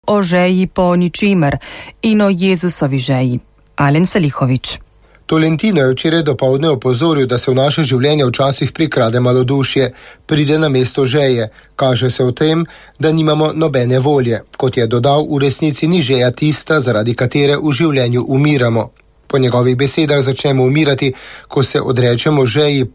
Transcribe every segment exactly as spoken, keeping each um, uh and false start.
o žeji po ničimer in o Jezusovi žeji. Alen Salihovič. Tolentino je včeraj dopoldne opozoril, da se v naše življenje včasih prikrade malodušje, pride na mesto žeje. Kaže se v tem, da nimamo nobene volje. Kot je dodal, v resnici ni žeja tista, zaradi katere v življenju umiramo. Po njegovih besedah začnemo umirati, ko se odrečemo žeji,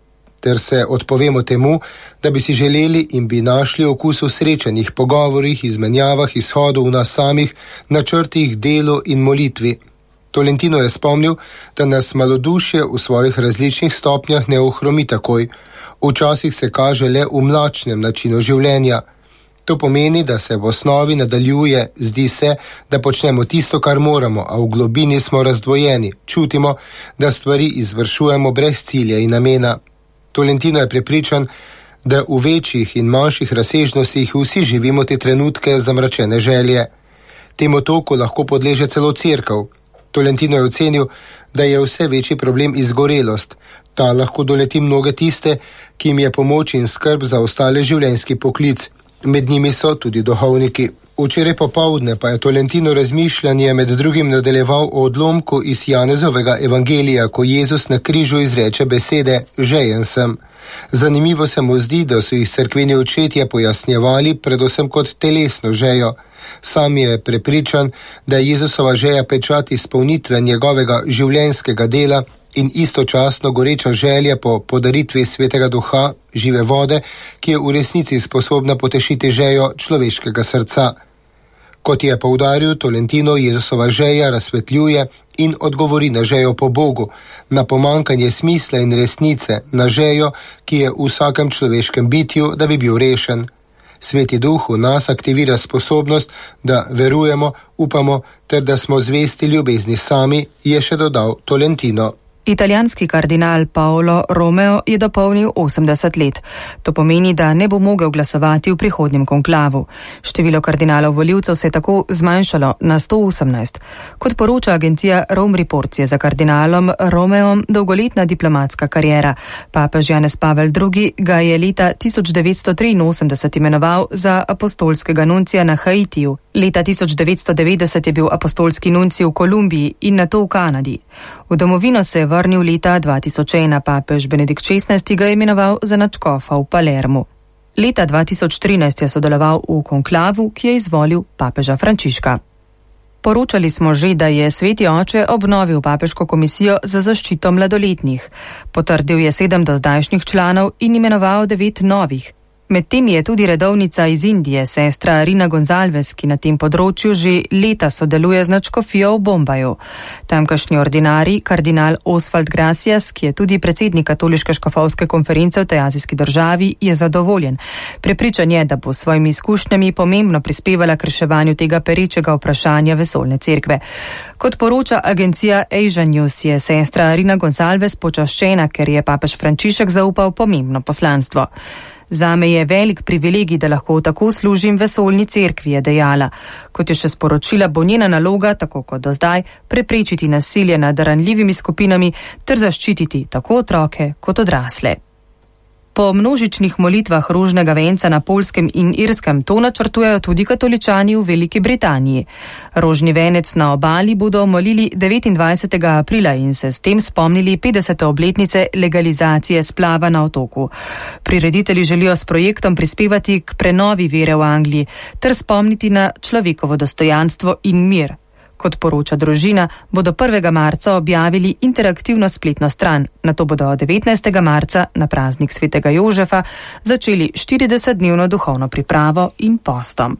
ter se odpovemo temu, da bi si želeli in bi našli okus v srečanjih pogovorih, izmenjavah, izhodu v nas samih, načrtih, delu in molitvi. Tolentino je spomnil, da nas malodušje v svojih različnih stopnjah ne ohromi takoj. Včasih se kaže le v mlačnem načinu življenja. To pomeni, da se v osnovi nadaljuje, zdi se, da počnemo tisto, kar moramo, a v globini smo razdvojeni, čutimo, da stvari izvršujemo brez cilja in namena. Tolentino je prepričan, da v večjih in manjših razsežnostih vsi živimo te trenutke zamračene želje. Temu toku lahko podleže celo cerkev. Tolentino je ocenil, da je vse večji problem izgorelost. Ta lahko doleti mnoge tiste, ki jim je pomoč in skrb za ostale življenjski poklic. Med njimi so tudi duhovniki. Včeraj popoldne pa je Tolentino razmišljanje med drugim nadaljeval o odlomku iz Janezovega evangelija, ko Jezus na križu izreče besede žejen sem. Zanimivo se mu zdi, da so jih cerkveni očetje pojasnjevali predvsem kot telesno žejo. Sam je prepričan, da je Jezusova žeja pečat izpolnitve njegovega življenjskega dela in istočasno goreča želja po podaritvi Svetega Duha, žive vode, ki je v resnici sposobna potešiti žejo človeškega srca. Kot je poudaril Tolentino, Jezusova žeja razsvetljuje in odgovori na žejo po Bogu, na pomankanje smisla in resnice, na žejo, ki je v vsakem človeškem bitju, da bi bil rešen. Sveti Duh v nas aktivira sposobnost, da verujemo, upamo, ter da smo zvesti ljubezni sami, je še dodal Tolentino. Italijanski kardinal Paolo Romeo je dopolnil osemdeset let. To pomeni, da ne bo mogel glasovati v prihodnjem konklavu. Število kardinalov volivcev se je tako zmanjšalo na sto osemnajst. Kot poroča agencija Rome Reports, je za kardinalom Romeom dolgoletna diplomatska kariera. Papež Janez Pavel drugi. ga je leta tisoč devetsto triinosemdeset imenoval za apostolskega nuncija na Haitiju. Leta tisoč devetsto devetdeset je bil apostolski nuncij v Kolumbiji in nato v Kanadi. V domovino se je vrnil leta dva tisoč ena, papež Benedikt šestnajsti. ga je imenoval za nadškofa v Palermu. Leta dva tisoč trinajst je sodeloval v konklavu, ki je izvolil papeža Frančiška. Poročali smo že, da je Sveti oče obnovil papeško komisijo za zaščito mladoletnih. Potrdil je sedem dozdajšnjih članov in imenoval devet novih. Med temi je tudi redovnica iz Indije, sestra Rina Gonzalves, ki na tem področju že leta sodeluje z nadškofijo v Bombaju. Tamkajšnji ordinarij, kardinal Oswald Gracias, ki je tudi predsednik katoliške škofovske konference v tej azijski državi, je zadovoljen. Prepričan je, da bo s svojimi izkušnjami pomembno prispevala k reševanju tega perečega vprašanja vesoljne cerkve. Kot poroča agencija Asia News, je sestra Rina Gonzalves počaščena, ker je papež Frančišek zaupal pomembno poslanstvo. Zame je velik privilegij, da lahko tako služim vesoljni cerkvi, je dejala. Kot je še sporočila, bo njena naloga, tako kot do zdaj, preprečiti nasilje nad ranljivimi skupinami ter zaščititi tako otroke kot odrasle. Po množičnih molitvah rožnega venca na Poljskem in Irskem to načrtujejo tudi katoličani v Veliki Britaniji. Rožni venec na obali bodo molili devetindvajsetega aprila in se s tem spomnili petdesete obletnice legalizacije splava na otoku. Prireditelji želijo s projektom prispevati k prenovi vere v Angliji ter spomniti na človekovo dostojanstvo in mir. Kot poroča družina, bodo prvega marca objavili interaktivno spletno stran, nato bodo devetnajstega marca na praznik svetega Jožefa začeli štiridesetdnevno duhovno pripravo in postom.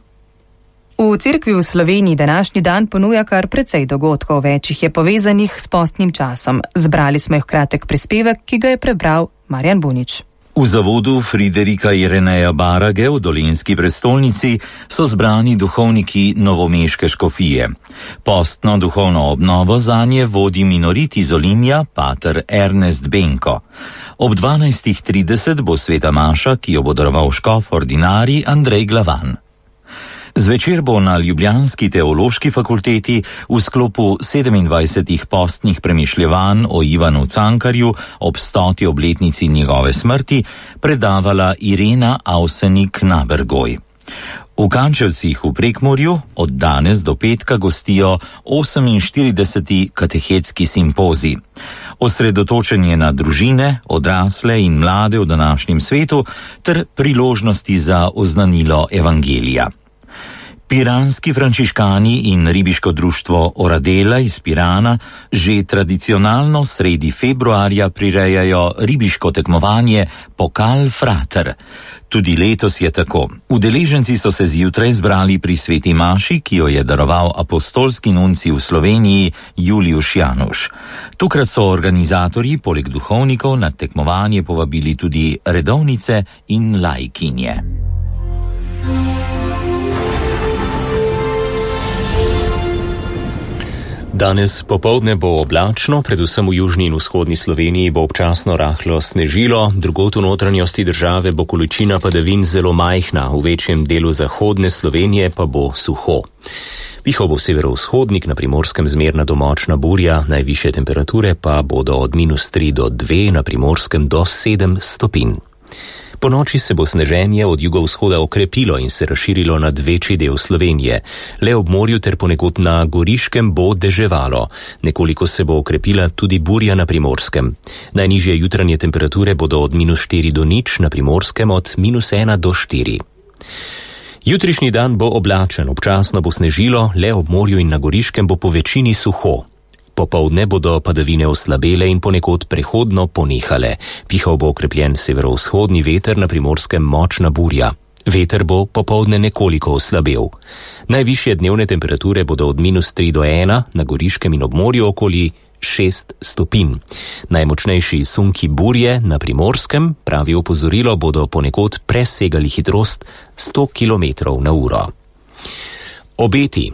V cerkvi v Sloveniji današnji dan ponuja kar precej dogodkov, več jih je povezanih s postnim časom. Zbrali smo jih kratek prispevek, ki ga je prebral Marjan Bunič. V zavodu Friderika Ireneja Barage v dolenjski prestolnici so zbrani duhovniki novomeške škofije. Postno duhovno obnovo zanje vodi minorit iz Olimja, pater Ernest Benko. Ob dvanajstih trideset bo sveta maša, ki jo bo daroval škof ordinarij Andrej Glavan. Zvečer bo na ljubljanski teološki fakulteti v sklopu sedemindvajsetih postnih premišljevanj o Ivanu Cankarju ob stoti obletnici njegove smrti predavala Irena Avsenik Nabergoj. V Kančevcih v Prekmurju od danes do petka gostijo oseminštirideseti katehetski simpozij. Osredotočen je na družine, odrasle in mlade v današnjem svetu ter priložnosti za oznanilo evangelija. Piranski frančiškani in ribiško društvo Oradela iz Pirana že tradicionalno sredi februarja prirejajo ribiško tekmovanje Pokal Frater. Tudi letos je tako. Udeleženci so se zjutraj zbrali pri sveti maši, ki jo je daroval apostolski nunci v Sloveniji Juliuš Januš. Tukrat so organizatorji poleg duhovnikov na tekmovanje povabili tudi redovnice in laikinje. Danes popoldne bo oblačno, predvsem v južni in vzhodni Sloveniji bo občasno rahlo snežilo, drugod v notranjosti države bo količina padavin zelo majhna, v večjem delu zahodne Slovenije pa bo suho. Pihal bo severovzhodnik, na Primorskem zmerna do močna burja, najvišje temperature pa bodo od minus tri do dve, na Primorskem do sedem stopinj. Po noči se bo sneženje od jugovzhoda okrepilo in se razširilo nad večji del Slovenije. Le ob morju ter ponekod na Goriškem bo deževalo. Nekoliko se bo okrepila tudi burja na Primorskem. Najnižje jutranje temperature bodo od minus štiri do nič, na Primorskem od minus ena do štiri. Jutrišnji dan bo oblačen, občasno bo snežilo, le ob morju in na Goriškem bo po večini suho. Popoldne bodo padavine oslabele in ponekod prehodno ponehale. Pihal bo okrepljen severovzhodni veter, na Primorskem močna burja. Veter bo popoldne nekoliko oslabel. Najvišje dnevne temperature bodo od minus tri do ena, na Goriškem in ob morju okoli šest stopinj. Najmočnejši sunki burje na Primorskem, pravi opozorilo, bodo ponekod presegali hitrost sto kilometrov na uro. Obeti.